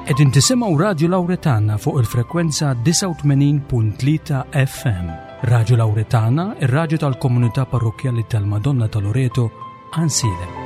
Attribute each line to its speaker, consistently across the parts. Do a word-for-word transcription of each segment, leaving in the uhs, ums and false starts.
Speaker 1: Qegħdin tisimgħu Radju Lawretana fuq il-frekwenza disgħa u tmenin punt tlieta F M. Radju Lawretana, ir-radju tal-komunità parrokkjali tal-Madonna ta' Loreto, Għajnsielem.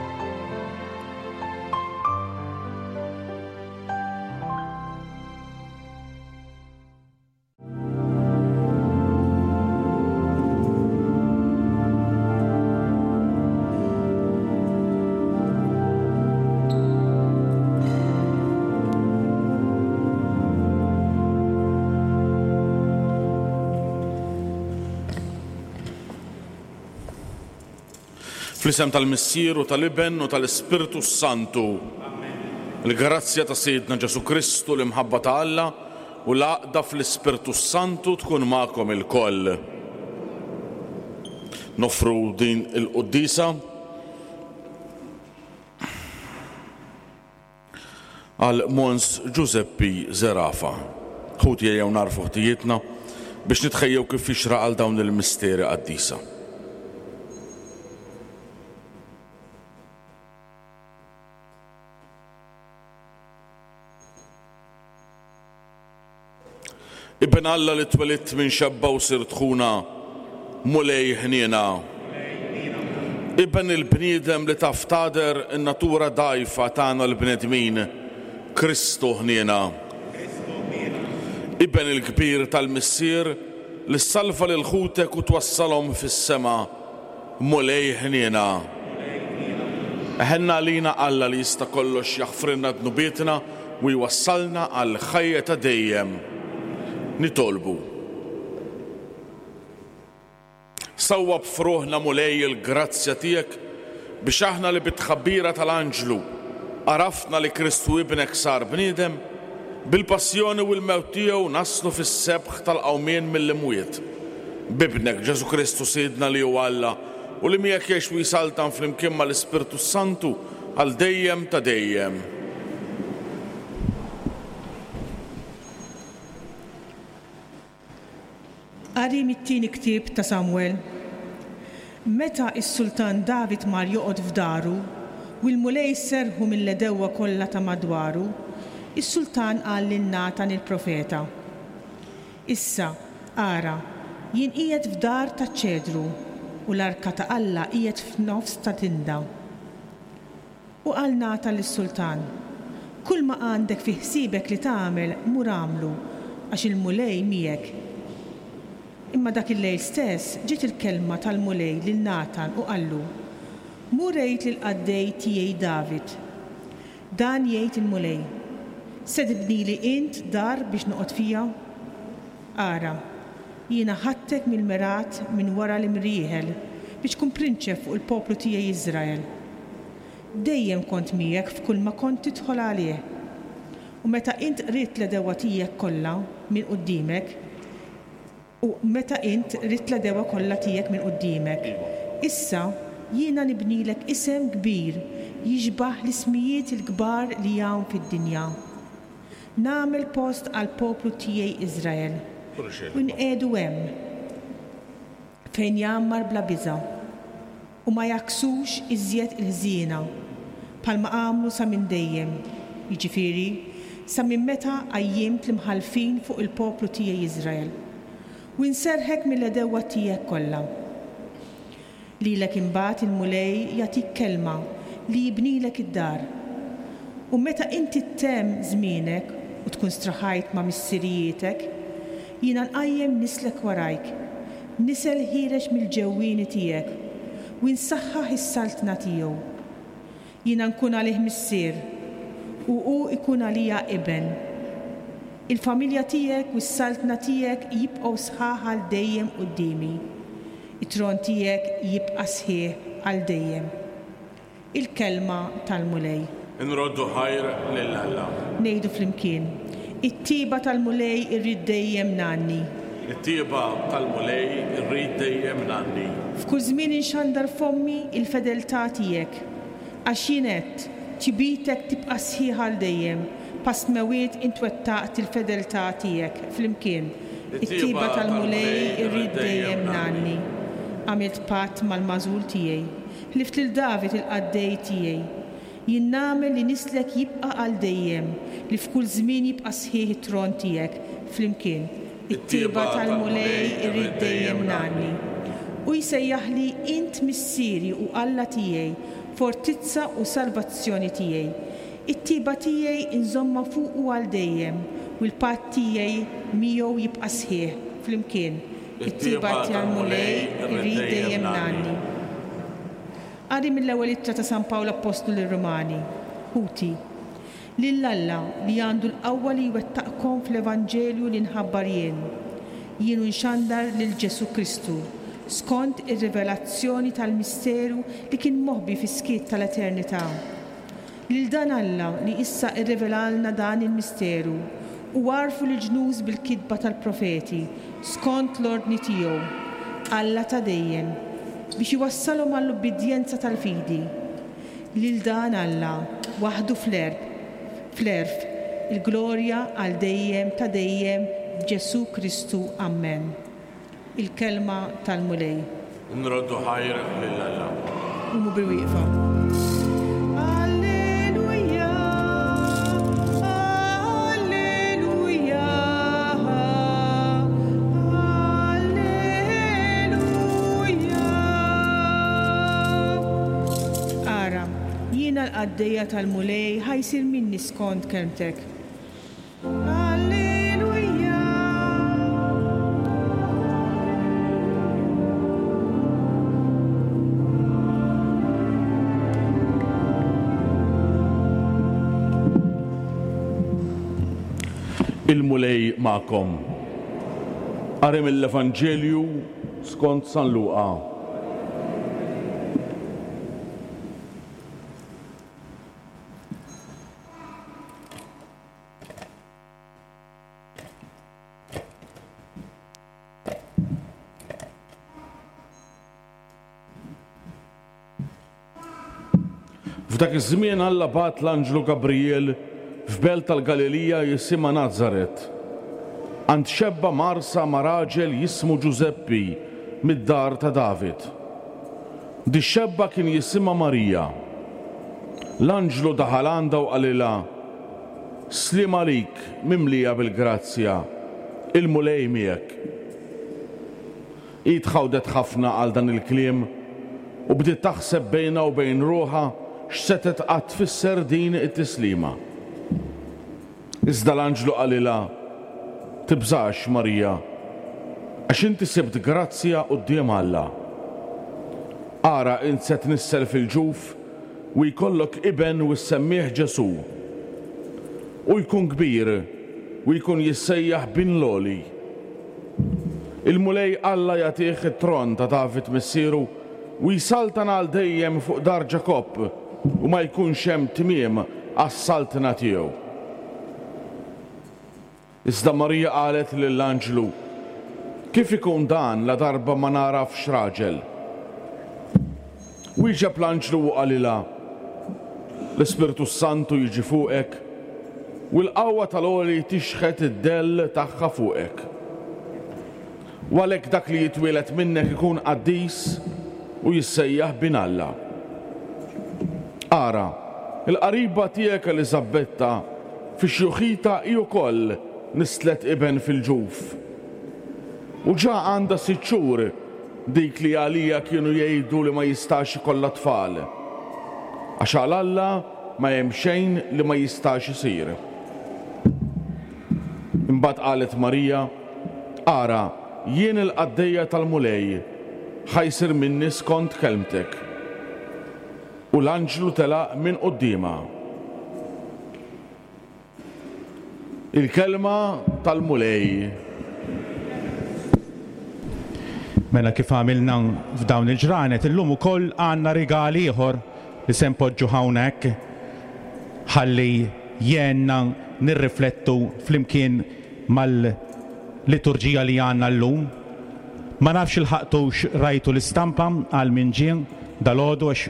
Speaker 2: Fl-isem tal-Missier u tal-Iben u tal-Ispirtu Santu. Il-grazzja ta' Sidna Ġesu Kristu, l-imħabba ta' Alla u l-għaqda fl-Ispirtu Santu tkun magħkom ilkoll. Nofru din il-quddiesa għal Mons Giuseppi Zerafa. Ħuti ejjew narfu ħtijietna biex nitħejjew kif jixraq għal dawn il-misteri qaddisa. Ibn Alla li twelidt minn xebba u sirt ħuna, Mulej ħniena. Ibn il-bniedem li taf tagħder in-natura dgħajfa tagħna l-bnedmin, Kristu ħniena. Ibn il-kbir tal-Missier li salva lil ħutek u twassalhom fis-sema, Mulej ħniena. Eħenna għalina Alla li jista' kollox jaħfrilna dnubietna u jwassalna għal ħajja ta' dejjem. Nitolbu. Sawwab f'ruħna Mulej il-grazzja tiegħek biex aħna li bit-tħabbira tal-anġlu għarafna li Kristu ibnek sar bniedem, bil-passjoni u l-mewt tiegħu naslu fis-sebħ tal-qawmien mill-imwiet. Bibnek Ġesu Kristu Sidna li hu Alla u li miegħek jgħix u jsaltan flimkien mal-Ispirtu Santu għal dejjem ta' dejjem.
Speaker 3: Qari mit-tieni ktieb ta' Samuel. Meta s-Sultan David mar joqgħod f'daru u l-Mulej serħu mill-għedewwa kollha ta' madwaru, is-Sultan qal lil Natan il-profeta: Issa, ara, jien qiegħed f'dar ta' ċedru u l-arka ta' Alla qiegħed f'nofs ta' tinda. U qal Natan lis-Sultan: Kull ma għandek fi ħsiebek li tagħmel mur agħmlu, għax il-Mulej miegħek. Imma dak il-lejl stess ġiet il-kelma tal-Mulej lil Natan u qallu: Mur għid lill-qaddej tiegħi David. Dan jgħid il-Mulej: Se tibnili int dar biex noqgħod fija? Ara, jiena ħadtek mill-mergħat minn wara l-imrieħel biex tkun prinċep fuq il-poplu tiegħi Iżrael. Dejjem kont miegħek f'kull ma kont tidħol għalih. U meta int qridt l-għedewwa tiegħek kollha minn quddiemek, u meta int ridt l-għedewwa kollha tiegħek minn quddiemek, issa jiena nibnilek isem kbir jixbah l-ismijiet il-kbar li hawn fid-dinja. Nagħmel post għal poplu tiegħi Iżrael u nqiegħdu hemm fejn jgħammar bla biża' u ma jaksux iżjed il-ħżiena bħalma għamlu sa minn dejjem, jiġifieri sa minn meta qajjimt l-imħallfin fuq il-poplu tiegħi Iżrael. U nserħek mill-għedewwa tiegħek kollha. Lilek imbagħad il-Mulej jagħtik kelma li jibnilek id-dar. U meta inti ttemm żmienek u tkun straħajt ma' missirijietek, jiena nqajjem nislek warajk, nisel ħiereġ mill-ġewwieni tiegħek, u nsaħħaħ is-saltna tiegħu. Jiena nkun għalih missier, u hu jkun għalija iben. Il-familja tiegħek u s-saltna tiegħek jibqgħu sħaħ għal dejjem quddiemi. It-tron tiegħek jibqa' sħiħ għal dejjem. Il-kelma tal-Mulej.
Speaker 2: Inroddu ħajr lil Alla.
Speaker 3: Ngħidu flimkien: It-tiba tal-Mulej irrid dejjem ngħanni.
Speaker 2: It-tiba tal-Mulej irrid dejjem ngħanni.
Speaker 3: F'kull żmien inxandar fommi il-fedeltà tiegħek, għax jien għedt, tjubitek tibqa' sħiħ għal dejjem, pasmewiet intwettaqt il-fedeltà tiegħek. Flimkien: It-tiba tal-Mulej irrid dejjem ngħanni. Għamilt patt mal-magħżul tiegħi, ħlift lil David il-qaddej tiegħi. Jien nagħmel li nislek jibqa' għal dejjem, li f'kull żmien jibqa' sħiħ it-tron tiegħek. Flimkien, it-tjieba tal-Mulej irrid dejjem ngħanni. U jsejjaħli int missieri u Alla tiegħi, fortizza u salvazzjoni tiegħi. It-tjieba tiegħi inżommha fuqu għal dejjem, u l-patt tiegħi miegħu jibqa' sħiħ. Flimkien, it-tjieba tal-Mulej irrid dejjem ngħanni. Qari mill-ewwel ittra ta' San Pawl Appostlu lir-Rumani. Ħuti, lil Alla li għandu l-qawwa li jwettaqkom fl-Evanġelju li nħabbar jien, jien u nxandar lil Ġesù Kristu, skont ir-rivelazzjoni tal-misteru li kien moħbi fis-skiet tal-eternità. Lil dan Alla li issa rrivelalna dan il-misteru u għarrfu lill-ġnus bil-kitba tal-profeti skont l-ordni tiegħu, Alla ta' dejjem, biex iwassalhom għall-ubbidjenza tal-fidi. Lil dan Alla, waħdu fl-għerf, fl-għerf, il-glorja għal dejjem ta' dejjem b'Ġesù Kristu. Amen. Il-kelma tal-Mulej.
Speaker 2: Nroddu ħajr lil Alla.
Speaker 3: Qumu bil-wieqfa. Alleluja, Alleluja, Alleluja. Ara, jiena l-qaddejja tal-Mulej, ħa jsir minni skont kelmtek. Alleluja.
Speaker 2: Il-Mulej magħkom. Qari mill-Evanġelju skont San Luqa. F'dak iż-żmien Alla bagħat l-anġlu Gabriel f'belt tal-Galilija jisimha Nazaret, għand xebba mgħarsa ma' raġel jismu Ġużeppi mid-dar ta' David. Di xebba kien jisimha Marija. L-anġlu daħal għandha u qalilha: Sliem għalik, mimlija bil-grazzja, il-Mulej miegħek. Hi tħawdet ħafna għal dan il-kliem u bdiet taħseb bejnha u bejn ruħha x'setgħet qatt tfisser din it-tislima. Iżda l-anġlu qalilha: Tibżax, Marija, għax inti sibt grazzja quddiem Alla. Ara, int se tnissel fil-ġuf u jkollok iben u ssemmih Ġesù. U jkun kbir u jkun jissejjaħ bin l-Għoli. Il-Mulej Alla jagħtih it-tron ta' David missieru u jsaltan għal dejjem fuq dar Ġakobb u ma jkunx hemm tmiem għas-saltna tiegħu. Iżda Marija qalet lill-anġlu: Kif ikun dan la darba ma nagħrafx raġel? Wieġeb l-anġlu u qalilha: L-Ispirtu Santu jiġi fuqek u l-qawwa tal-Għoli tixħet id-dell tagħha fuqek. U għalhekk dak li jitwieled minnek ikun qaddis u jissejjaħ bin Alla. Ara, il-qariba tiegħek Eliżabetta fi xjuħita hi wkoll nislet iben fil-ġuf. U ġa għandha sitt xhur dik li għalija kienu jgħidu li ma jistax ikollha tfal. Għax għal Alla ma hemm xejn li ma jistax isir. Imbagħad qalet Marija: Ara, jien il-qaddejja tal-Mulej, ħa jsir minni skont kelmtek. U l-anġlu telaq minn quddiemha. Il-kelma tal-Mulej.
Speaker 4: Mela kif għamilna f'dawn il-ġranet, illum ukoll għandna rigal ieħor li se npoġġu hawnhekk ħalli jgħinna nirriflettu flimkien mal-liturġija li għandna llum. Ma nafx ilħaqtux rajtu l-istampa għal min ġie dalgħodu għax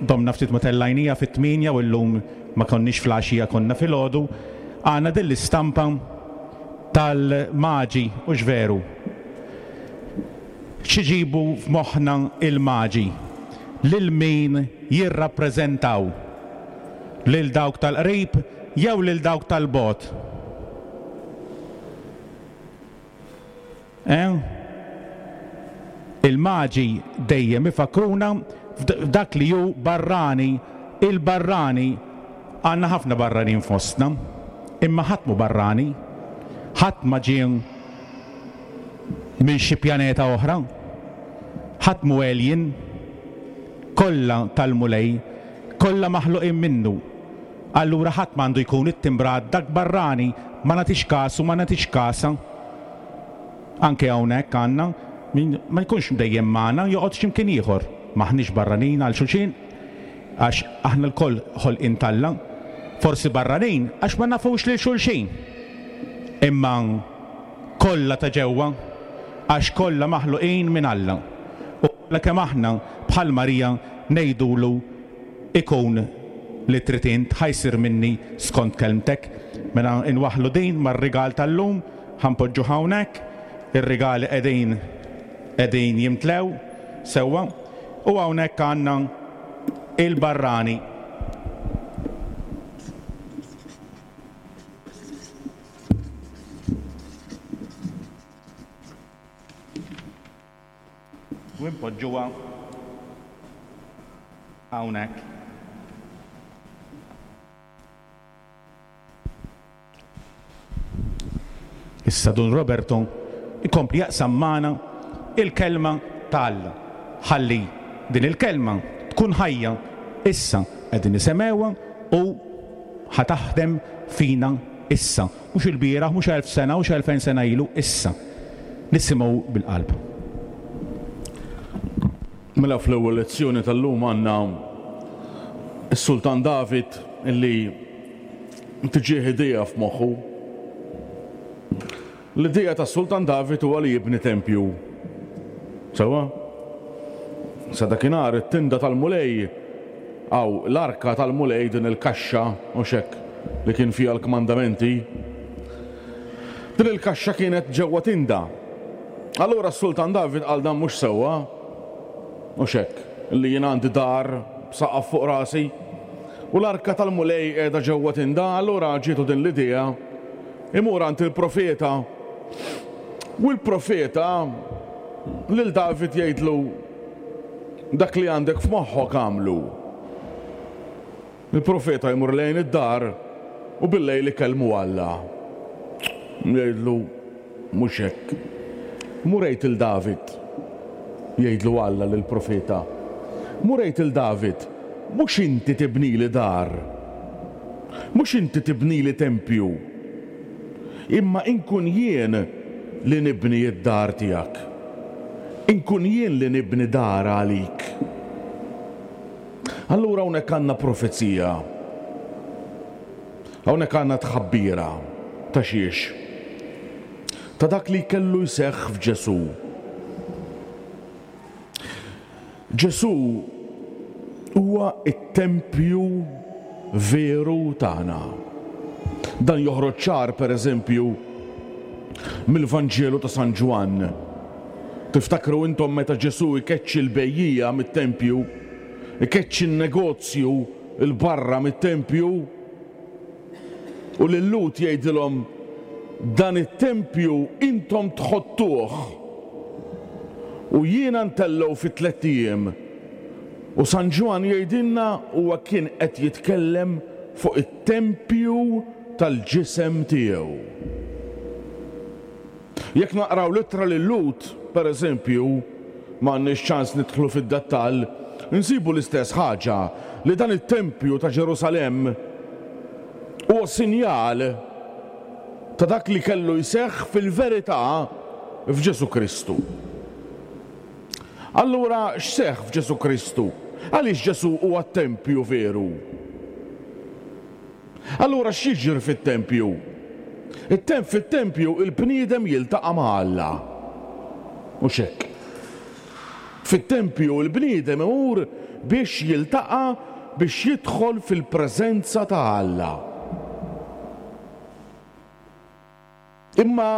Speaker 4: domna ftit ma tellajnija fit-tmienja u llum ma konniex fl-għaxija konna filgħodu. Għandna din l-istampa tal-maġi, u x'veru. X'iġibu f'moħħna il-maġi? Lil min jirrappreżentaw? Lil dawk tal-qrib jew lil dawk tal-bogħod? Eh? Il-maġi dejjem ifakruna f'dak li hu barrani, il-barrani. Għandna ħafna barranin fostna, imma ħadd mhu barrani, ħadd ma ġie minn xi pjaneta oħra, ħadd mhu alien, kollha tal-Mulej, kollha maħluqin minnu. Allura ħadd m'għandu jkun ittimbrat dak barrani, ma nagħtix kasu, ma nagħtix kasha. Anke hawnhekk għandna min ma jkunx dejjem magħna, joqgħod x'imkien ieħor. M'aħniex barranin għal xulxin, għax aħna lkoll ħolqien t'Alla. Forsi barranin għax ma nafux lil xulxin, imma kollha ta' ġewwa, għax kollha maħluqin minn Alla. U kollha kemm aħna bħal Marija ngħidulu ikun li trid int, ħa jsir minni skont kelmtek. Mela nwaħħlu din mar-rigal tal-lum, ħa npoġġu hawnhekk, ir-rigali qegħdin qegħdin jimtlew sewwa, u hawnhekk għandna il-barrani. U npoġġuha hawnhekk. Issa Dun Roberto ikompli jaqsam magħna il-kelma ta' Alla. Ħalli din il-kelma tkun ħajja issa qegħdin nisemgħuha u ħa taħdem fina issa. Mhux il-bieraħ, mhux elf sena, mhux elfejn sena ilu, issa. Nisimgħu bil-qalb.
Speaker 2: Mela fl-ewwel lezzjoni tal-lum għandna s-Sultan David illi tiġih idea f'moħħu. L-idea tas-Sultan David huwa li jibni tempju. Sewwa? Sa dakinhar it-tinda tal-Mulej aw l-arka tal-Mulej, din il-kaxxa u xek li kien fiha l-kmandamenti. Din il-kaxxa kienet ġewwa tinda. Allura s-Sultan David qal dan mhux sewwa, u xek li jien għandi dar b'saqaf fuq rasi u l-arka tal-Mulej qiegħda ġewwa tinda. Allura ġietu din l-idea imur għand il-profeta, u l-profeta lil David jgħidlu dak li għandek f'moħħok għamlu. Il-profeta jmur lejn id-dar u bil-lejl ikellmu Alla. Jgħidlu mhux hekk. Mur għid il David, jgħidlu Alla lill-profeta. Mur għid il David, mhux inti tibnili dar, mhux inti tibnili tempju, imma inkun jien li nibni d-dar tiegħek. Inkun jien li nibni dar għalik. Allura hawnhekk għandna profezija. Hawnhekk għandna tħabbira ta' xiex? Ta' dak li kellu jseħħ f'Ġesù. Ġesù huwa t-tempju veru tagħna. Dan joħroġ ċar, per eżempju, mill-Vanġelu ta' San Ġwann. Tiftakru intom meta Ġesù jkeċċi l-bejjija mit-tempju, ikeċċi n-negozju l-barra mit-tempju, u lil-Lhud jgħidilhom dan it-tempju intom tħottuh u jiena ntellgħu fi tlett ijiem. U San Ġwann jgħidilna huwa kien qed jitkellem fuq it-tempju tal-ġisem tiegħu. Jekk naqraw l-ittra lil-Lhud, per eżempju, ma għandniex ċans nidħlu fid-dettall, insibu l-istess ħaġa, li dan it-tempju ta' Ġerusalemm huwa sinjal ta' dak li kellu jseħħ fil-verità f'Ġesù Kristu. Allura x'seħħ f'Ġesù Kristu? Għaliex Ġesù huwa t-tempju veru? Allura x'jiġri fit-tempju? It-temp fit-tempju il-bniedem jiltaqa' ma' Alla. Mhux hekk. Fit-tempju il-bniedem imur biex jiltaqa', biex jidħol fil-preżenza ta' Alla. Imma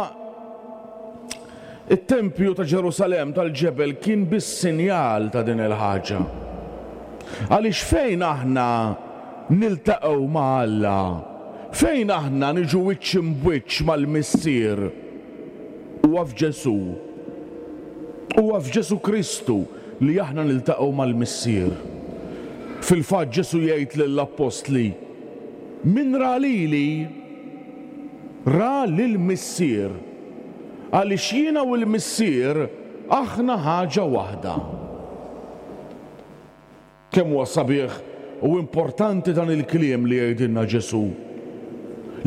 Speaker 2: it-tempju ta' Ġerusalemm tal-ġebel kien biss sinjal ta' din il-ħaġa. Għaliex fejn aħna niltaqgħu ma' Alla, fejn aħna niġu wiċċ imb'wiċċ mal-Missier, huwa f'Ġesù. Huwa f'Ġesù Kristu li aħna niltaqgħu mal-Missier. Fil-fatt Ġesù jgħid lill-appostli, min ra lili ra lill-Missier, għaliex jiena u l-Missier aħna ħaġa waħda. Kemm huwa sabiħ u importanti dan il-kliem li jgħidilna Ġesù.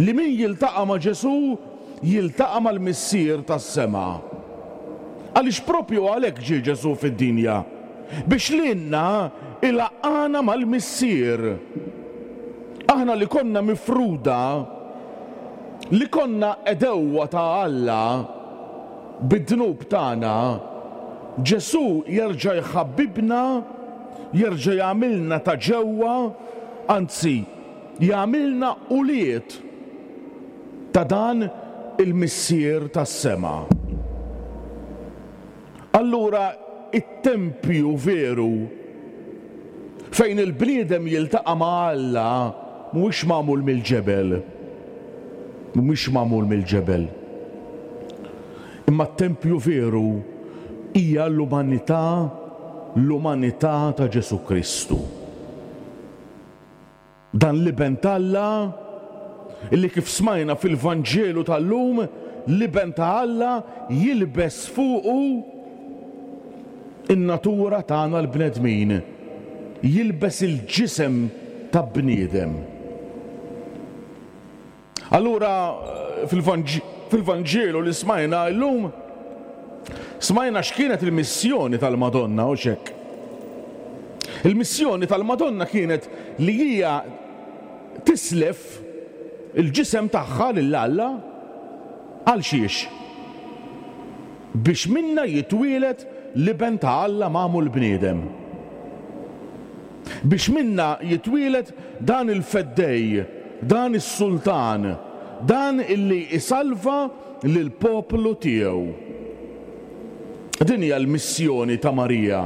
Speaker 2: Li min jiltaqa' ma' Ġesù jiltaqa' mal-Missier tas-sema. Għaliex propju għalhekk ġie Ġesù fid-dinja, biex lilna ilaqqana mal-Missier. Aħna li konna mifruda, li konna għedewwa ta' Alla bid-dnub tagħna, Ġesù jerġa' jħabbibna, jerġa' jagħmilna ta' ġewwa, anzi jagħmilna ulied ta' dan il-Missier tas-sema. Allura it-tempju veru fejn il-bniedem jiltaqa' ma' Alla mhuwiex magħmul mill-ġebel. Mhuwiex magħmul mill-ġebel. Imma t-tempju veru hija l-umanità, l-umanità ta' Ġesù Kristu. Dan l-Iben t'Alla illi kif smajna fil-Vanġelu tal-lum, l-Iben ta' Alla jilbes fuqu in-natura tagħna l-bnedmin, jilbes il-ġisem ta' bniedem. Allura fil-Vanġelu li smajna llum, smajna x'kienet il-missjoni tal-Madonna u xek. Il-missjoni tal-Madonna kienet li hija tislef il-ġisem tagħha lil Alla għal xiex? Biex minna jitwielet l-Iben ta' Alla magħmul bniedem. Biex minna jitwielet dan il-Feddej, dan is-Sultan, dan illi isalva lill-poplu tiegħu. Din hija l-missjoni ta' Marija.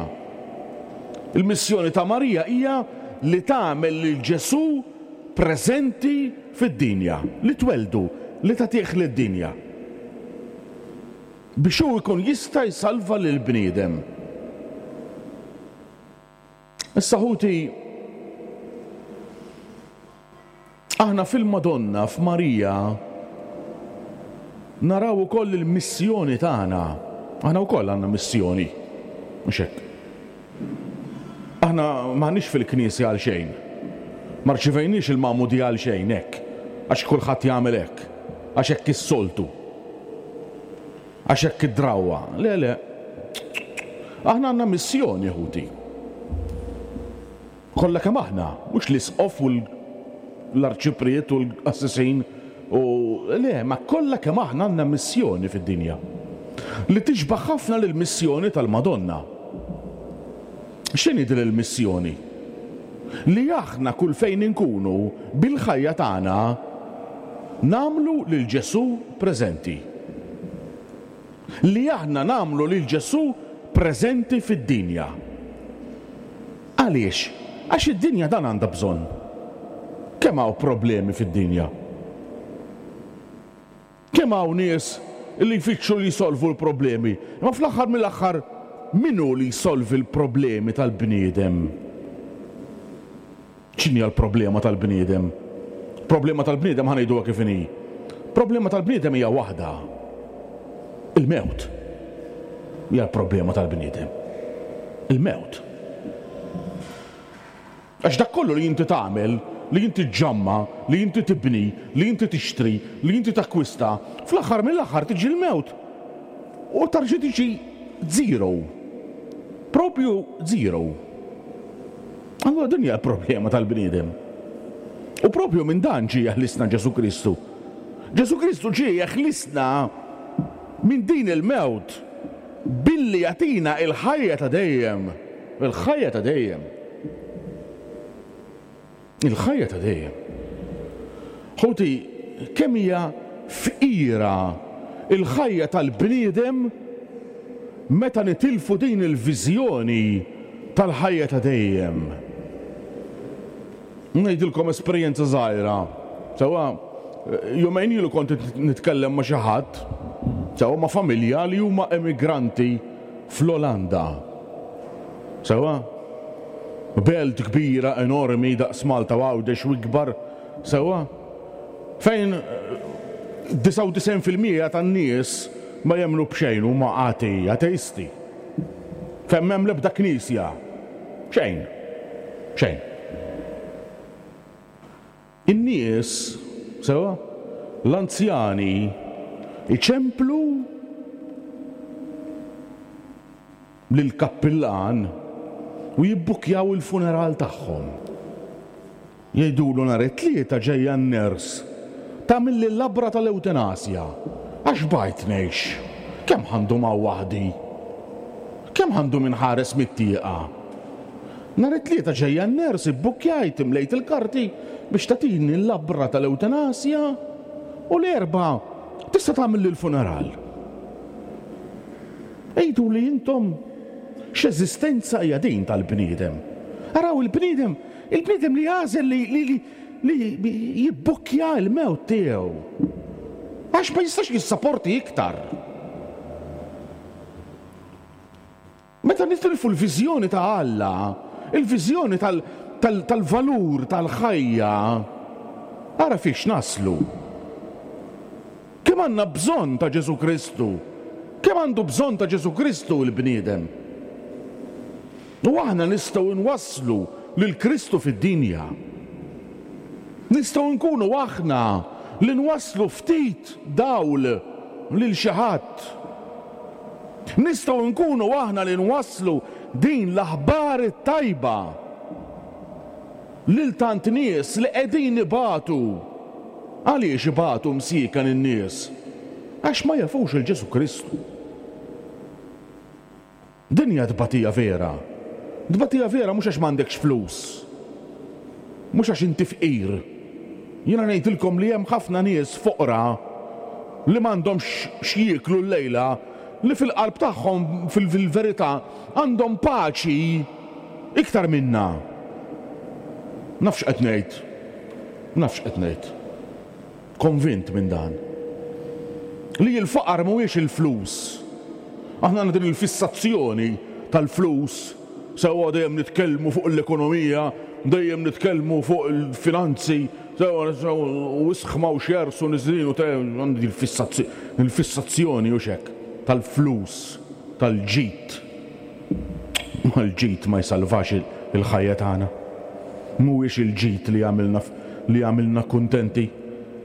Speaker 2: Il-missjoni ta' Marija hija li tagħmel lil Ġesù preżenti fid-dinja, li tweldu, li tagħtih lid-dinja. Biex hu jkun jista' jsalva lill-bniedem. Issa ħuti, aħna fil-Madonna, f'Marija, naraw ukoll il-missjoni tagħna. Aħna wkoll għandna missjoni, mhux hekk. Aħna m'aħniex fil-knisja għal xejn. Ma rċivejniex il-magħmudija għal xejn hekk, għax kulħadd jagħmel hekk, għax hekk is-soltu, għax hekk id-drawwa. Le, le. Aħna għandna missjoni, ħuti. Kollha kemm aħna, mhux l-isqof u l-arċipriet u l-qassisin u le, ma kollha kemm aħna għandna missjoni fid-dinja li tixbaħ ħafna lill-missjoni tal-Madonna. X'inhi din il-missjoni? Li aħna kull fejn inkunu bil-ħajja tagħna nagħmlu lil Ġesù preżenti. Li aħna nagħmlu lil Ġesù preżenti fid-dinja. Għaliex? Għax id-dinja dan għandha bżonn. Kemm hawn problemi fid-dinja? Kemm hawn nies li jfittxu li jsolvu l-problemi? Imma fl-aħħar mill-aħħar min hu li jsolvi l-problemi tal-bniedem? X'inhi l-problema tal-bniedem? Problema tal-bniedem ħa ngħiduha kif inhi. Problema tal-bniedem hija waħda. Il-mewt. Hija l-problema tal-bniedem. Il-mewt. Għax dak kollu li inti tagħmel, li inti ġġamma, li inti tibni, li inti tixtri, li inti takkwista, fl-aħħar mill-aħħar tiġi l-mewt. U tarġi tiġi zero. Propju zero. Allura din hija l-problema tal-bniedem. U propju minn dan ġie jeħlisna Ġesù Kristu. Ġesù Kristu ġie jeħlisna minn din il-mewt billi jagħtina il-ħajja ta' dejjem. Il-ħajja ta' dejjem. Il-ħajja ta' dejjem. Ħuti, kemm hija fqira il-ħajja tal-bniedem meta nitilfu din il-viżjoni tal-ħajja ta' dejjem. Ngħidilkom esperjenza żgħira. Sewwa, jumejn ilu kont nitkellem ma' xi ħadd, sewwa ma' familja li huma emigranti fl-Olanda. Sewwa? Belt kbira enormi daqs Malta u Għawdex u ikbar, sewwa? Fejn disgħa u disgħin fil-mija tan-nies ma jemmnu b'xejn, huma atei, ateisti. Fejn m'hemm l-ebda knisja. Xejn. Xejn. In-nies, sewwa, l-anzjani iċemplu lill-kappillan u jibbukjaw il-funeral tagħhom. Jgħidulu nhar it-Tlieta ġejja n-ners tagħmilli l-labra tal-ewtenasja għax bajt ngħix. Kemm ħandu ma' waħdi? Kemm ħandu minħares mit-tieqa? Nhar it-Tlieta ġejja n-ners ibbukkjajt, imlejt il-karti biex tagħtini l-labra tal-ewtenasja u l-Erbgħa tista' tagħmilli l-funeral. Għidu li intom x'eżistenza hija din tal-bniedem. Araw il-bniedem, il-bniedem li għażel li, li, li, li jibbukkja l-mewt tiegħu. Għax ma jistax jissaporti iktar. Meta nitilfu l-viżjoni ta' Alla, il-viżjoni tal-, tal-, tal-valur tal-ħajja, ara fiex naslu. Kemm għandna bżonn ta' Ġesù Kristu? Kemm għandu bżonn ta' Ġesù Kristu l-bniedem? U aħna nistgħu nwasslu lil Kristu fid-dinja. Nistgħu nkunu aħna li nwasslu ftit dawl lil xi ħadd. Nistgħu nkunu aħna li nwasslu din l-aħbar it-tajba lil tant nies li qegħdin ibatu. Għaliex ibatu msiekan in-nies? Għax ma jafux il Ġesù Kristu. Din hija tbatija vera. Tbatija vera mhux għax m'għandekx flus. Mhux għax inti fqir. Jiena ngħidilkom li hemm ħafna nies foqra li m'għandhomx x'jieklu llejla, li fil-qalb tagħhom fil-, fil-verità għandhom paċi iktar minna. Nafx qed ngħid. Nafx qed ngħid. Konvint minn dan. Li l-faqar mhuwiex il-flus. Aħna għandna din il-fissazzjoni tal-flus, sewwa dejjem nitkellmu fuq l-ekonomija, dejjem nitkellmu fuq il-finanzi, sewwa, sewwa, u isħma u xers u niżlin u te, għandi il-fissazzi-, il-fissazzjoni u xek tal-flus, tal-ġid. Ma l-ġid ma jsalvax il-, il-ħajja tagħna. Mhuwiex il-ġid li jagħmilna f-, li jagħmilna kuntenti,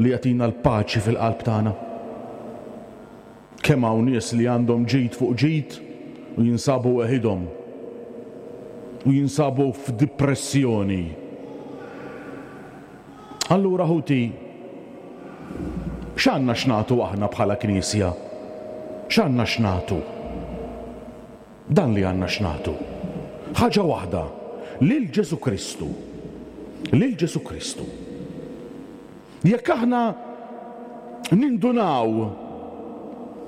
Speaker 2: li jagħtina l-paċi fil-qalb tagħna. Kemm hawn nies li għandhom ġid fuq ġid u jinsabu weħidhom u jinsabu f'depressjoni. Allura ħuti, x'għandna x'nagħtu aħna bħala Knisja? X'għandna x'nagħtu? Dan li għandna x'nagħtu. Ħaġa waħda, lil Ġesù Kristu. Lil Ġesù Kristu. Jekk aħna nindunaw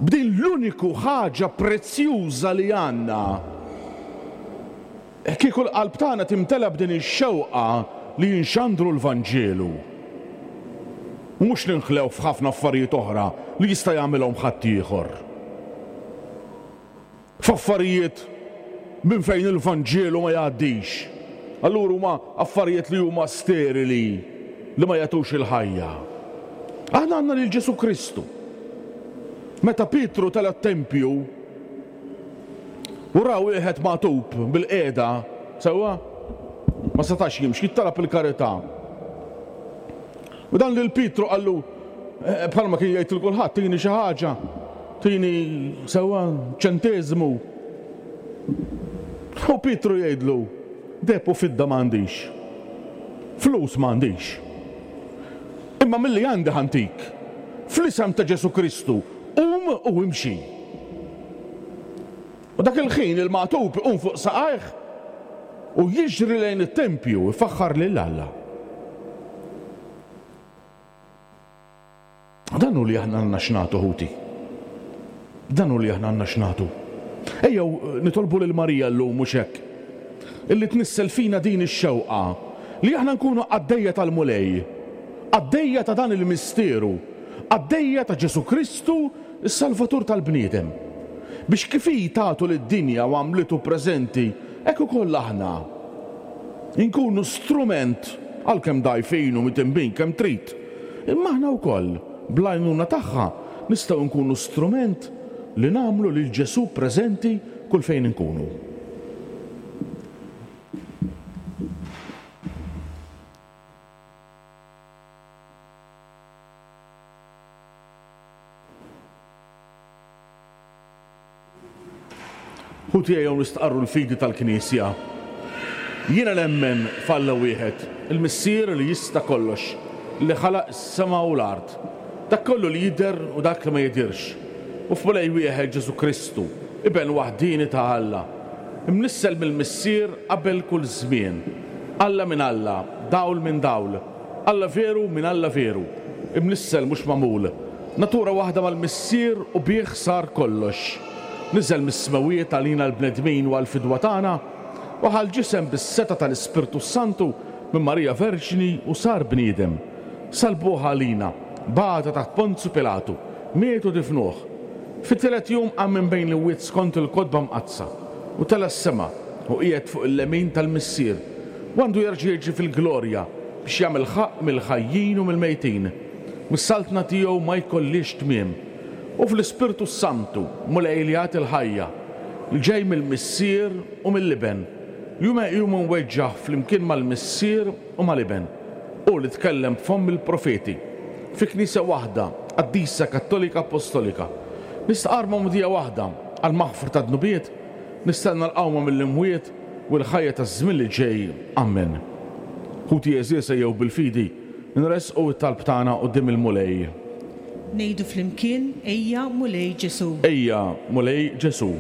Speaker 2: b'din l-uniku ħaġa prezzjuża li għandna, kieku l-qalb tagħna timtela b'din ix-xewqa li jinxandru l-Vanġelu. U mhux ninħlew f'ħafna affarijiet oħra li jista' jagħmilhom ħaddieħor. F'affarijiet minn fejn il-Vanġelu ma jgħaddix. Allura huma affarijiet li huma sterili, li ma jagħtux il-ħajja. Aħna għandna lil Ġesù Kristu. Meta Pietru tela' t-tempju u ra wieħed magħtub bil-qiegħda, sewwa, ma setax jimxi, jittalab il-karità. U dan lil Pietru qallu, eh, bħalma kien jgħid lil kulħadd, tini xi ħaġa, tini sewwa ċenteżmu. U Pietru jgħidlu, deheb u fidda m'għandix, flus m'għandix. Imma milli għandi ħantik, fl-isem ta' Ġesù Kristu, qum u imxi. U dak il-ħin il-magħtub iqum fuq saqajh u jiġri lejn it-tempju ifaħħar lil Alla. Dan hu li aħna għandna x'nagħtu, ħuti. Dan hu li aħna għandna x'nagħtu. Ejjew nitolbu lil Marija llum mhux hekk. Illi tnissel fina din ix-xewqa li aħna nkunu qaddejja tal-Mulej, qaddejja ta' dan il-misteru, qaddejja ta' Ġesù Kristu, is-Salvatur tal-bniedem. Biex kif hi tagħtu lid-dinja u għamlitu preżenti, hekk ukoll aħna inkunu strument, għalkemm dgħajfin u mitinbin kemm trid, imma aħna wkoll bl-għajnuna tagħha nistgħu nkunu strument li nagħmlu lil Ġesù preżenti kull fejn inkunu. Ħuti ejjew nistqarru l-fidi tal-Knisja. Jiena nemmen f'Alla wieħed, il-Missier li jista' kollox, li ħalaq is-sema u l-art, dak kollu li jidher u dak li ma jidhirx, u f'Mulej wieħed Ġesù Kristu, Iben waħdini ta' Alla, imnissel mill-Missier qabel kull żmien, Alla minn Alla, dawl minn dawl, Alla veru minn Alla veru, imnissel mhux magħmul, natura waħda mal-Missier u bih sar kollox. Niżel mis-smewiet għalina l-bnedmin u għall-fidwa tagħna, u ħa l-ġisem bis-setgħa tal-Ispirtu Santu minn Marija Verġni u sar bniedem. Salbuh għalina, bagħata taħt Ponzju Pilatu, miet u difnuh. Fit-tielet jum qam minn bejn l-imwiet skont il-kotba mqaddsa, u tela' s-sema u qiegħed fuq il-lemin tal-Missier, u għandu jerġa' jiġi fil-glorja biex jagħmel ħaqq mill-ħajjin u mill-mejtin. Mis-saltna tiegħu ma jkollix tmiem. U fl-Ispirtu Santu, Mulej li jagħti l-ħajja, li ġej mill-Missier u mill-Iben, li hu meqjum u mweġġaħ flimkien mal-Missier u mal-Iben, u li tkellem b'fomm il-profeti, fi Knisja waħda, qaddisa Kattolika Apostolika. Nistqarr magħmudija waħda għall-maħfra ta' dnubiet, nistenna l-qawma mill-imwiet u l-ħajja taż-żmien li ġej. Amen. Ħuti għeżież, ejjew bil-fidi nressqu t-talb tagħna quddiem il-Mulej.
Speaker 3: Ngħidu flimkien, Ejja Mulej Ġesù.
Speaker 2: Ejja Mulej Ġesù.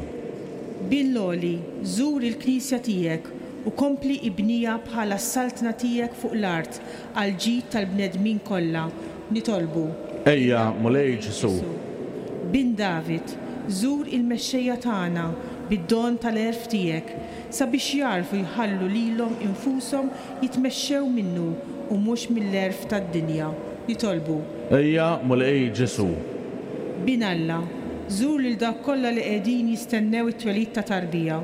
Speaker 3: Bin l-għoli, żur il-Knisja tiegħek u kompli ibnija bħala s-saltna tiegħek fuq l-art għal ġid tal-bnedmin kollha. Nitolbu.
Speaker 2: Ejja Mulej Ġesù.
Speaker 3: Bin David, żur il-mexxejja tagħna bid-don tal-għerf tiegħek sabiex jagħrfu jħallu lilhom infushom jitmexxew minnu u mhux mill-għerf tad-dinja. Nitolbu.
Speaker 2: Ejja Mulej Ġesù.
Speaker 3: Bin Alla, żur lil dawk kollha li qegħdin jistennew it-twelid ta' tarbija,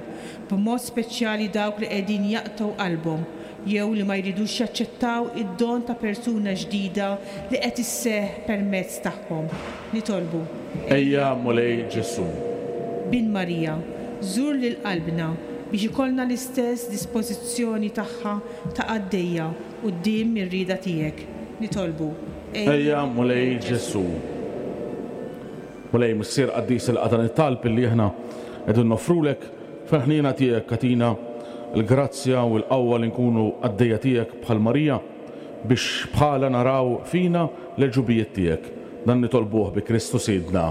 Speaker 3: b'mod speċjali dawk li qegħdin jaqtgħu qalbhom jew li ma jridux jaċċettaw id-don ta' persuna ġdida li qed isseħħ permezz tagħhom. Nitolbu.
Speaker 2: Ejja Mulej Ġesù.
Speaker 3: Bin Marija, żur lil qalbna biex ikollna l-istess dispożizzjoni tagħha ta' qaddejja quddiem ir-rieda tiegħek. Nitolbu.
Speaker 2: Ejja Mulej Ġesù. Mulej Missier qaddis, ilqa' dan it-talb illi aħna qegħdin noffrulek fil-ħniena tiegħek, agħtina l-grazzja u l-qawwa li nkunu qaddejja tiegħek bħal Marija, biex bħala naraw fina l-ġubijiet tiegħek. Dan nitolbuh bi Kristu Sidna.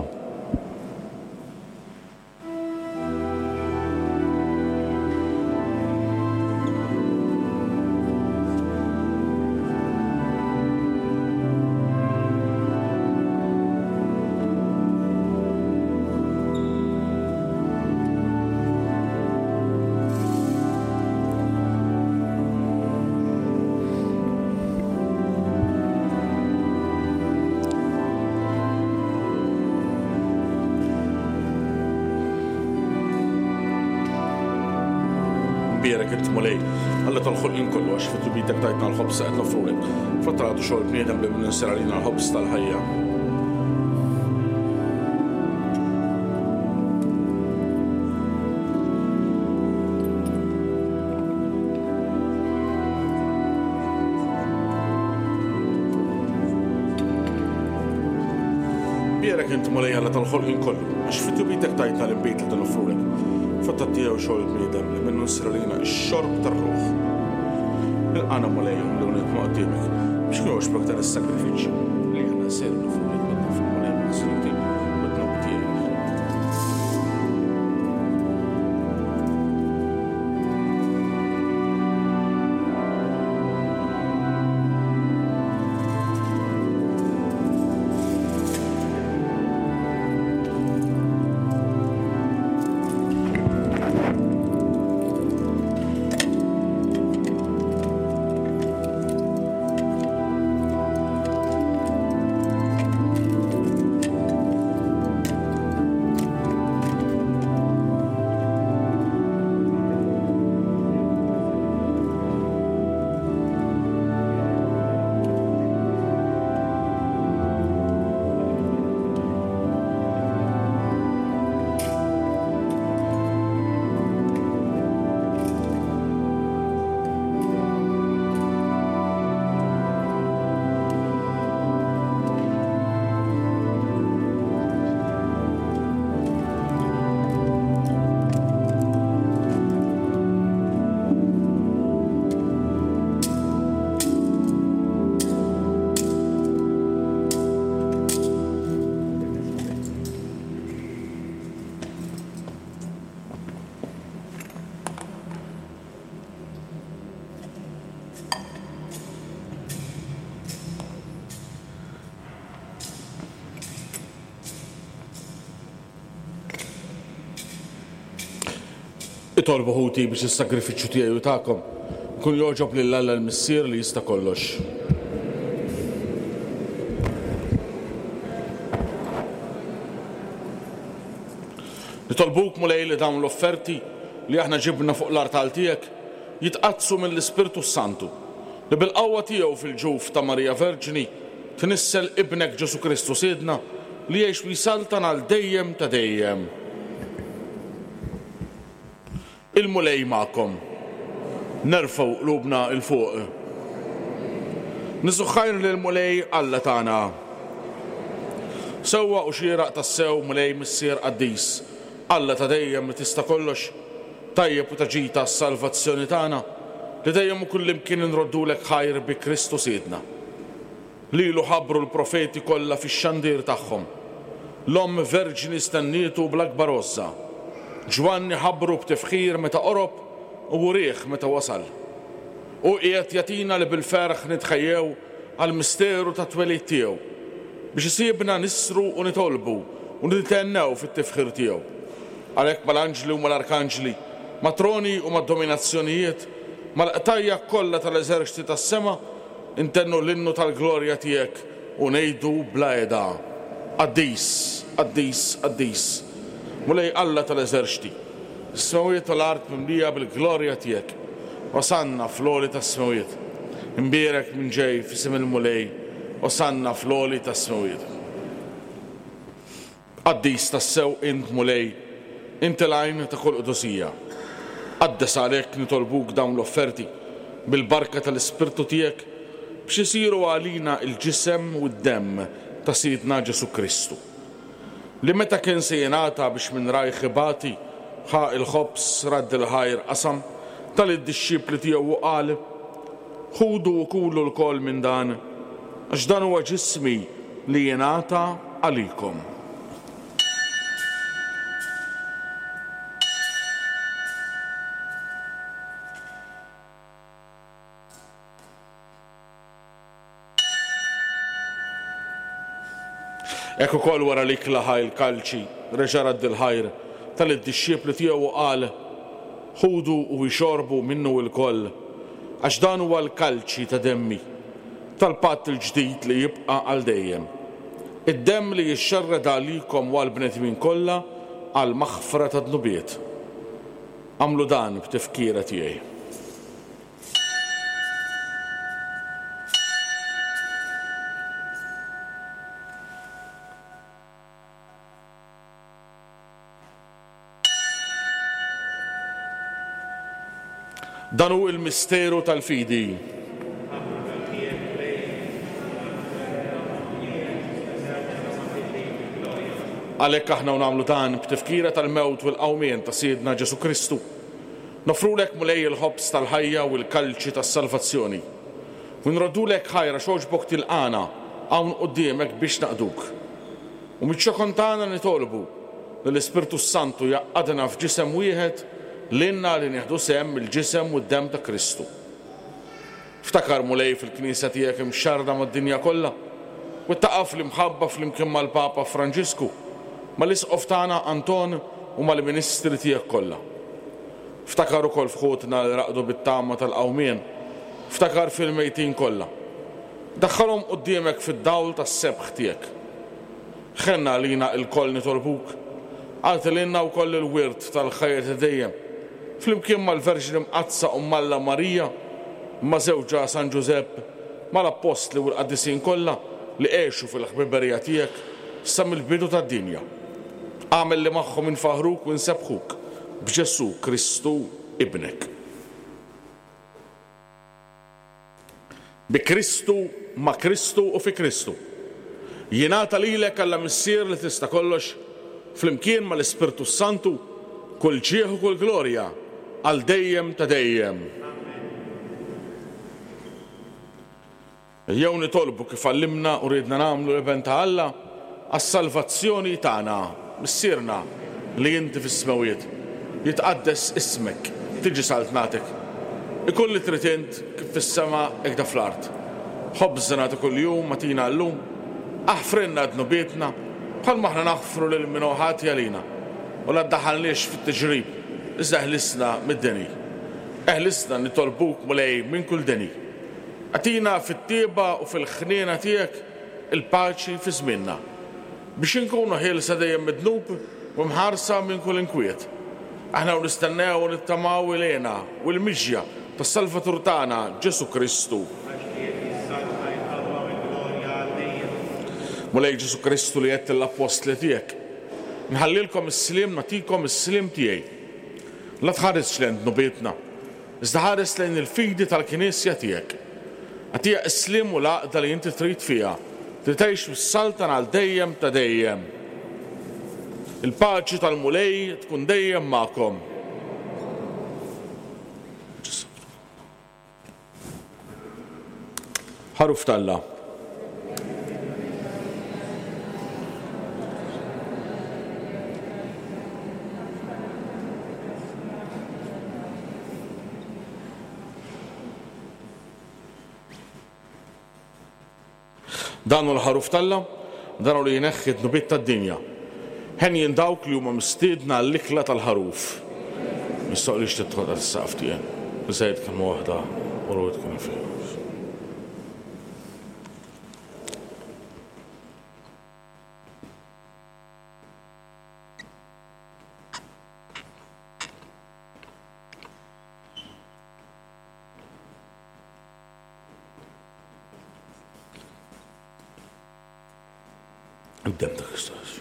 Speaker 2: Bierek int Mulej, Alla tal-ħolqien kollu, għax fi tjubitek tajtna l-ħobż qed nofrulek. Frott xogħol bniedem li minn insir għalina l-ħobż tal-ħajja. Bierek int Mulej, Alla tal-ħolqien kollu, għax fi tjubitek tajtna l-inbid li nofrulek. Frott tiegħu xogħol bniedem li minnu nsir għalina x-xorb tar-ruħ. Ilqana Mulej li nitma' quddiemek biex kun jogħġbok dan is-sagrifiċċju li aħna nsir nofrulek bid-daf Mulej mill-ħsieb u d-dnub tiegħek. Itolbu ħuti biex is-sagrifiċċju tiegħi u tagħkom ikun jogħġob lil Alla l-Missier li jista' kollox. Nitolbuk Mulej li dawn l-offerti li aħna ġibna fuq l-artal tiegħek jitqaddsu mill-Ispirtu Santu li bil-qawwa tiegħu fil-ġuf ta' Marija Verġni tnissel ibnek Ġesu Kristu Sidna li jgħix u jsaltan għal dejjem ta' dejjem. Il-Mulej magħkom. Nerfgħu qlubna 'l fuq. Niżżu ħajr lill-Mulej Alla tagħna. Sewwa u xieraq tassew Mulej Missier Qaddis, Alla ta' dejjem li tista' kollox, tajjeb u ta' ġid għas-salvazzjoni tagħna, li dejjem u kullimkien inroddulek ħajr bi Kristu Sidna. Lilu ħabbru l-profeti kollha fix-xandir tagħhom. L-Omm Verġni stennietu bl-akbar għożża. Ġwanni ħabbru b'tifħir meta qorob u wrieh meta wasal. U qiegħed jagħtina li bil-ferħ nitħejjew għall-misteru tat-twelid tiegħu, biex isibna nisru u nitolbu u nithennew fit-tifħir tiegħu. Għalhekk mal-anġli u mal-arkanġli, mat-troni u mad-dominazzjonijiet, mal-qtajja kollha tal-eżerċti tas-sema, intennu l-innu tal-glorja tiegħek u ngħidu bla heda. Qaddis, qaddis, qaddis, Mulej Alla tal-eżerċti, is-smewiet u l-art mimlija bil-glorja tiegħek. Osanna fl-għoli tas-smewiet. Imbierek min ġej f'isem il-Mulej, osanna fl-għoli tas-smewiet. Qaddis tassew int Mulej, inti l-għajn ta' kull qdusija. Qaddes għalhekk nitolbuk dawn l-offerti bil-barka tal-Ispirtu tiegħek biex isiru għalina il-ġisem u d-demm ta' Sidna Ġesu Kristu. Li meta kien se jingħata biex minn rajh ibati, ħa il-ħobż, radd il-ħajr qasam, ta lid-dixxipli tiegħu u qal: Ħudu u kulu lkoll minn dan, għax dan huwa ġismi li jingħata għalikom. Hekk ukoll wara li klaħa il-kalċi, reġa' radd il-ħajr ta lid-dixxipli tiegħu u qal: Ħudu u ixorbu minnu lkoll, għax dan huwa l-kalċi ta' demmi, tal-patt il-ġdid li jibqa' għal dejjem. Id-demm li jixxerred għalikom u għall-bnedmin kollha għal maħfra ta' dnubiet. Agħmlu dan b'tifkira tiegħi. Dan hu il-misteru tal-fidi. Għalhekk aħna u nagħmlu dan b'tifkira tal-mewt u l-qawmien ta' Sidna Ġesu Kristu. Nofrulek Mulej il-ħobż tal-ħajja u l-kalċi tas-salvazzjoni. U nroddulek ħajr għax għoġbok tilqana hawn quddiemek biex naqduk. U miċ-ċokon tagħna nitolbu li l-Ispirtu Santu jgħaqqadna f'ġisem wieħed lilna li nieħdu sehem mill-ġisem u d-demm ta' Kristu. Ftakar Mulej fil-Knisja tiegħek imxarrda mad-dinja kollha u ttaqaf l-imħabba flimkien mal-Papa Franġisku, mal-Isqof tagħna Anton u mal-Ministri tiegħek kollha. Ftakar ukoll f'ħutna li raqdu bit-tama tal-qawmien, ftakar fil-mejtin kollha. Daħħalhom quddiemek fid-dawl tas-sebħ tiegħek. Ħenna għalina lkoll nitolbuk, agħti lilna wkoll il-wirt tal-ħajja ta' dejjem, flimkien mal-Verġni Mqaddsa u Alla Marija, ma' żewġha San Ġużepp, mal-Appostli u l-Qaddisin kollha li għexu fil-ħbiberija tiegħek sa mill-bidu tad-dinja. Agħmel li magħhom infaħruk u nsebbħuk b'Ġesù Kristu ibnek. Bi Kristu, ma' Kristu u fi Kristu. Jingħata lilek Alla Missier li tista' kollox, flimkien mal-Ispirtu Santu, kull ġieħ u kull glorja għal dejjem ta' dejjem. Ejjew nitolbu kif għallimna u riedna nagħmlu l-Iben ta' Alla għas-salvazzjoni tagħna. Missierna li inti fis-smewiet, jitqaddes ismek, tiġi saltnatek. Ikun li trid int kif fis-sema hekk fl-art. Ħobżna ta' kuljum agħtina llum, aħfrilna dnubietna bħalma aħna naħfru lil min hu ħati għalina, u la ddaħħalniex fit-tiġrib, iżda eħlisna mid-deni. Eħlisna nitolbuk, Mulej, minn kull deni. Agħtina fit-tjieba u fil-ħniena tiegħek il-paċi fi żmienna, biex inkunu ħielsa dejjem mid-dnub u mħarsa minn kull inkwiet. Aħna u nistennew u nittamaw il-hena u l-miġja tas-Salvatur tagħna Ġesù Kristu. Mulej Ġesù Kristu li għedt lill-appostli tiegħek, nħallilkom is-sliem, nagħtikom is-sliem tiegħi. La tħaresx lejn dnubietna, iżda ħares lejn il-fidi tal-Knisja tiegħek. Agħtiha s-sliem u l-għaqda li inti trid fiha, li tgħix bis-saltan għal dejjem ta' dejjem. Il-paċi tal-Mulej tkun dejjem magħkom. Ħaruf t'Alla. Dan hu l-ħaruf t'Alla, dan hu li jneħħi d-dnubiet tad-dinja. Henjin dawk li huma mistiedna għall-ikla tal-ħaruf. Mistoqlix tidħol għas-saqaf tiegħi. Żejt kemm waħda u rwit kemm fih. Id-dem ta' Kristus.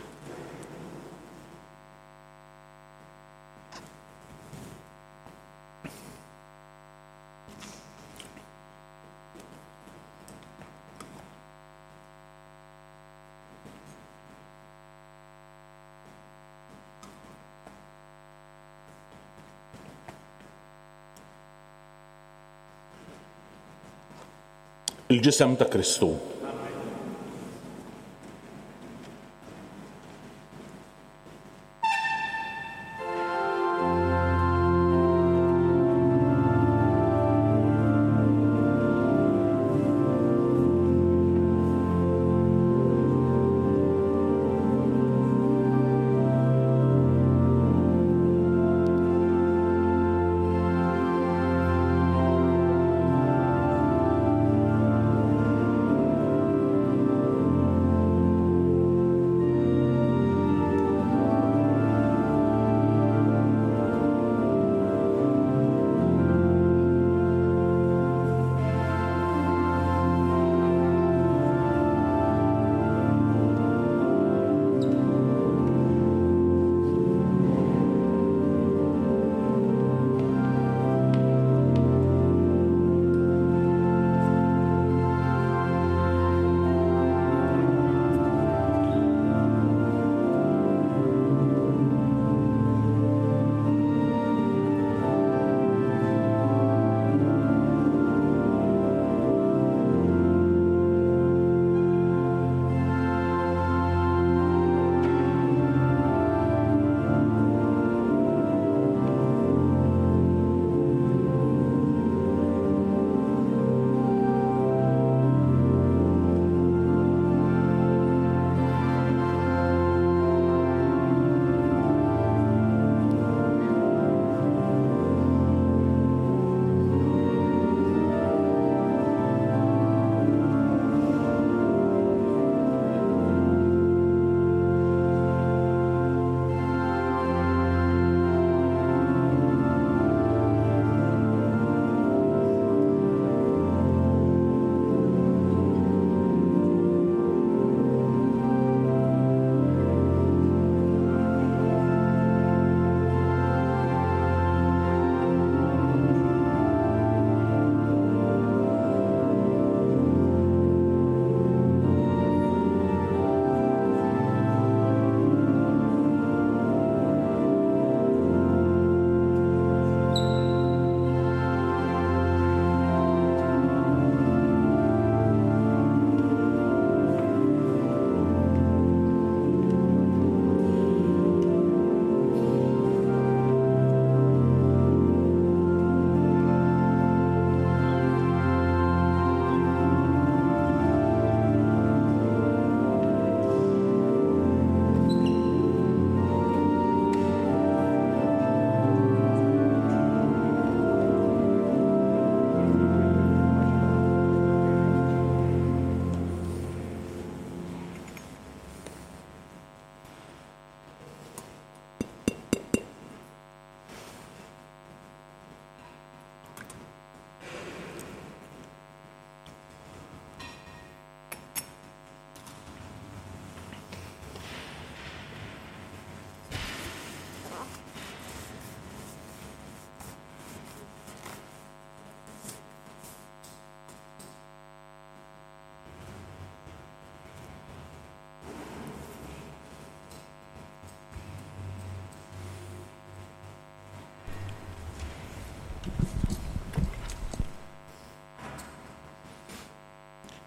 Speaker 2: Il-ġisem ta' Kristu.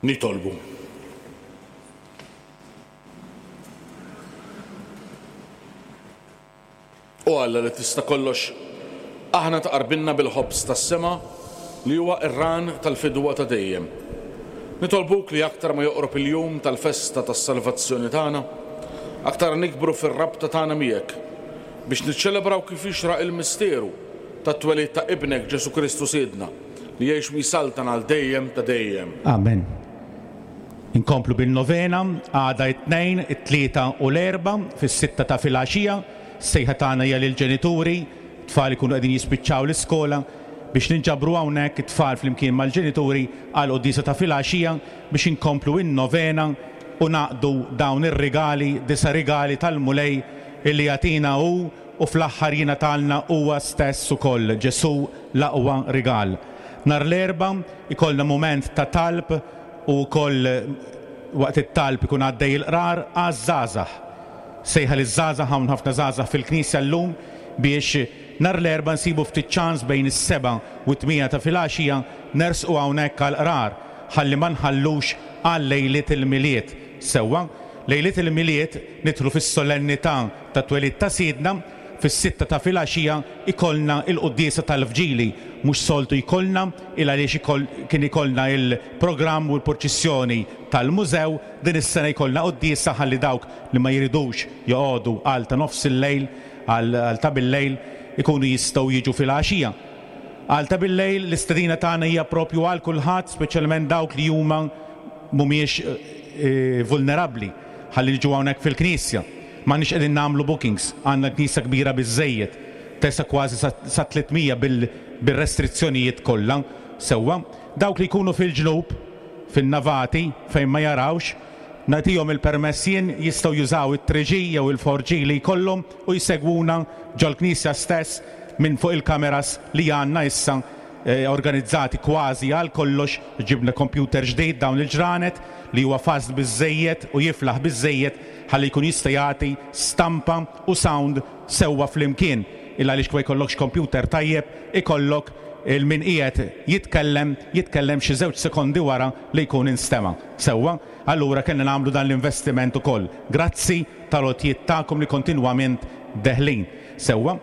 Speaker 2: Nitolbu. O Alla li tista' kollox, aħna tqarbinna bil-ħobż tas-sema li huwa ir-ran tal-fidwa ta' dejjem. Nitolbuk li aktar ma joqrob il-jum tal-festa tas-salvazzjoni tagħna, aktar nikbru fir-rabta tagħna miegħek biex niċċelebraw kif jixraq il-misteru tat-twelid ta' ibnek Ġesu Kristu Sidna li jgħix u jsaltan għal dejjem ta' dejjem.
Speaker 4: Amen. Inkomplu bil-novena, għada it-tnejn, it-tlieta u l-erba' fis-sitta ta' filgħaxija, sejħa tagħna hija lill-ġenituri, tfal ikunu qegħdin jispiċċaw l-iskola biex ninġabru hawnhekk it-tfal flimkien mal-ġenituri għal quddiesa ta' filgħaxija biex inkomplu in-novena u naqdu dawn ir-rigali, disa' rigali tal-Mulej illi jagħtina hu u fl-aħħar jingħatalna huwa stess ukoll, Ġesu l-aqwa rigal. Nhar l-Erbgħa ikollna mument ta' talb u wkoll waqt it-talb ikun għaddej il-qrar għaż-żgħażagħ. Sejħa liż-żgħażagħ, hawn ħafna żgħażagħ fil-knisja llum biex nhar l-Erbgħa nsibu ftit ċans bejn is-seba' u t-tmija ta' filgħaxija nersqu hawnhekk għall-qrar ħalli ma nħallux għal lejliet il-Milied. Sewwa, lejliet il-Milied nidħlu fis-solennità ta' twelid ta' Sidna, fis-sitta ta' filgħaxija ikollna il-quddiesa tal-Vġili, mhux soltu jkollna il għaliex kien ikollna il-programm u l-purċissjoni tal-mużew, din is-sena jkollna quddiesa ħalli dawk li ma jridux joqogħdu għal ta' nofs il-lejl, għal ta' bil-lejl, ikunu jistgħu jiġu filgħaxija. Għal ta' bil-lejl l-istedina tagħna hija propju għal kulħadd, speċjalment dawk li huma mhumiex eh, vulnerabbli, ħalli jiġu hawnhekk fil-knisja. M'għandniex qegħdin nagħmlu bookings, għandna knisja kbira biżżejjed, tesa kważi sa tliet mija bil-restrizzjonijiet kollha sewwa. Dawk li jkunu fil-ġnub, fin-navati, fejn ma jarawx, nagħtihom il-permess jien, jistgħu jużaw it-three G jew il-four G li jkollhom u jsegwuna ġol-knisja stess minn fuq il-kameras li għandna issa, eh, organizzati kważi għal kollox. Ġibna computer ġdid dawn il-ġranet li huwa fast biżżejjed u jiflaħ biżżejjed ħalli jkun jista' jagħti stampa u sound sewwa flimkien. Illa għaliex ma jkollokx computer tajjeb, ikollok il-min qiegħed jitkellem, jitkellem xi żewġ sekondi wara li jkun instema'. Sewwa, allura kellna nagħmlu dan l-investiment ukoll. Grazzi tal-għotjiet tagħkom li kontinwament deħlin. Sewwa,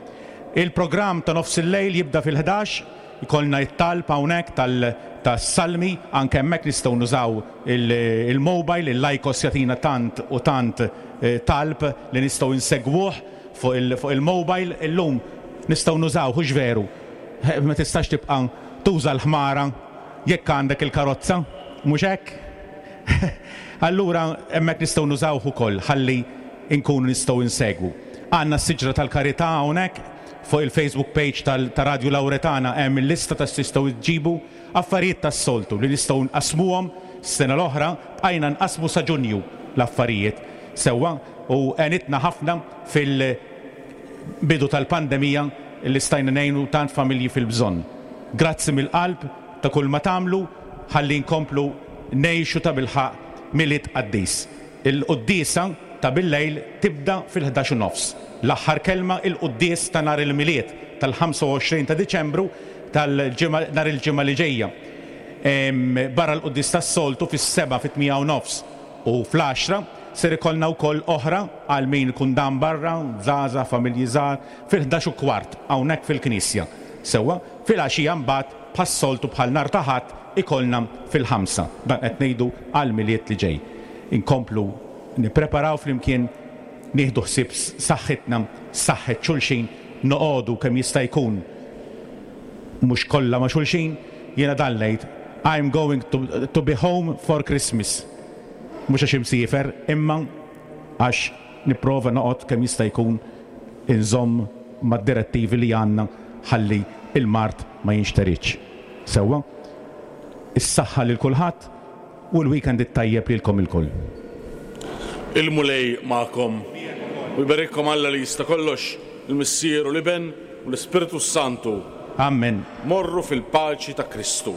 Speaker 4: il-programm ta' nofs il-lejl jibda fil-ħdax, ikollna it-talb hawnhekk tal-, tas-salmi, anke hemmhekk nistgħu nużaw il-, il-mobile, il-Lycos jagħtina tant u tant, eh, talb li nistgħu insegwuh fuq il-, fuq il-mobile. Illum nistgħu nużaw, hux veru? Eh, ma tistax tibqa' tuża l-ħmara jekk għandek il-karozza, mhux hekk? Allura hemmhekk nistgħu nużawh ukoll ħalli nkunu nistgħu insegwu. Għandna s-siġra tal-karità hawnhekk fuq il-Facebook page tal-, ta' Radio Lauretana hemm il-lista ta' x'tistgħu tġibu affarijiet tas-soltu li nistgħu nqasmuhom. S-sena l-oħra bqajna nqasmu sa Ġunju l-affarijiet sewwa u għenitna ħafna fil-bidu tal-pandemija li stajna ngħinu tant familji fil-bżonn. Grazzi mill-qalb ta' kull ma tagħmlu ħalli nkomplu ngħixu ta' bilħaqq Milied qaddis. Il-quddiesa ta' bil-lejl tibda fil-ħdax u nofs. L-aħħar kelma il-quddies ta' nhar il-Milied tal-ħamsa u għoxrin ta' Diċembru tal-ġimgħa, nhar il-ġimgħa li ġejja. Em, barra l-quddies tas-soltu fis-seba' fit-tmija u nofs u fl-għaxra ser ikollna wkoll oħra għal min ikun dam barra, żgħażagħ, familji żgħar, fil-ħdax u kwart hawnhekk fil-knisja. Sewwa, fil-għaxija mbagħad bħas-soltu bħal nhar ta' Ħadd ikollna fil-ħamsa. Dan qed ngħidu għal Milied li ġej. Inkomplu nippreparaw flimkien, nieħdu ħsieb saħħitna, saħħet xulxin, noqogħdu kemm jista' jkun mhux kollha ma' xulxin. Jiena dan ngħid, I'm going to, to be home for Christmas. Mhux għax imsiefer, imma għax nipprova noqgħod kemm jista' jkun inżomm mad-direttivi li għandna ħalli il-mard ma jinxteritx. Sewwa, is-saħħa lil kulħadd u l-weekend it-tajjeb lilkom ilkoll.
Speaker 2: Il-Mulej magħkom. U jberikkom Alla li jista' kollox, il-Missier u l-Iben u l-Ispirtu Santu.
Speaker 4: Amen.
Speaker 2: Morru fil-paċi ta' Kristu.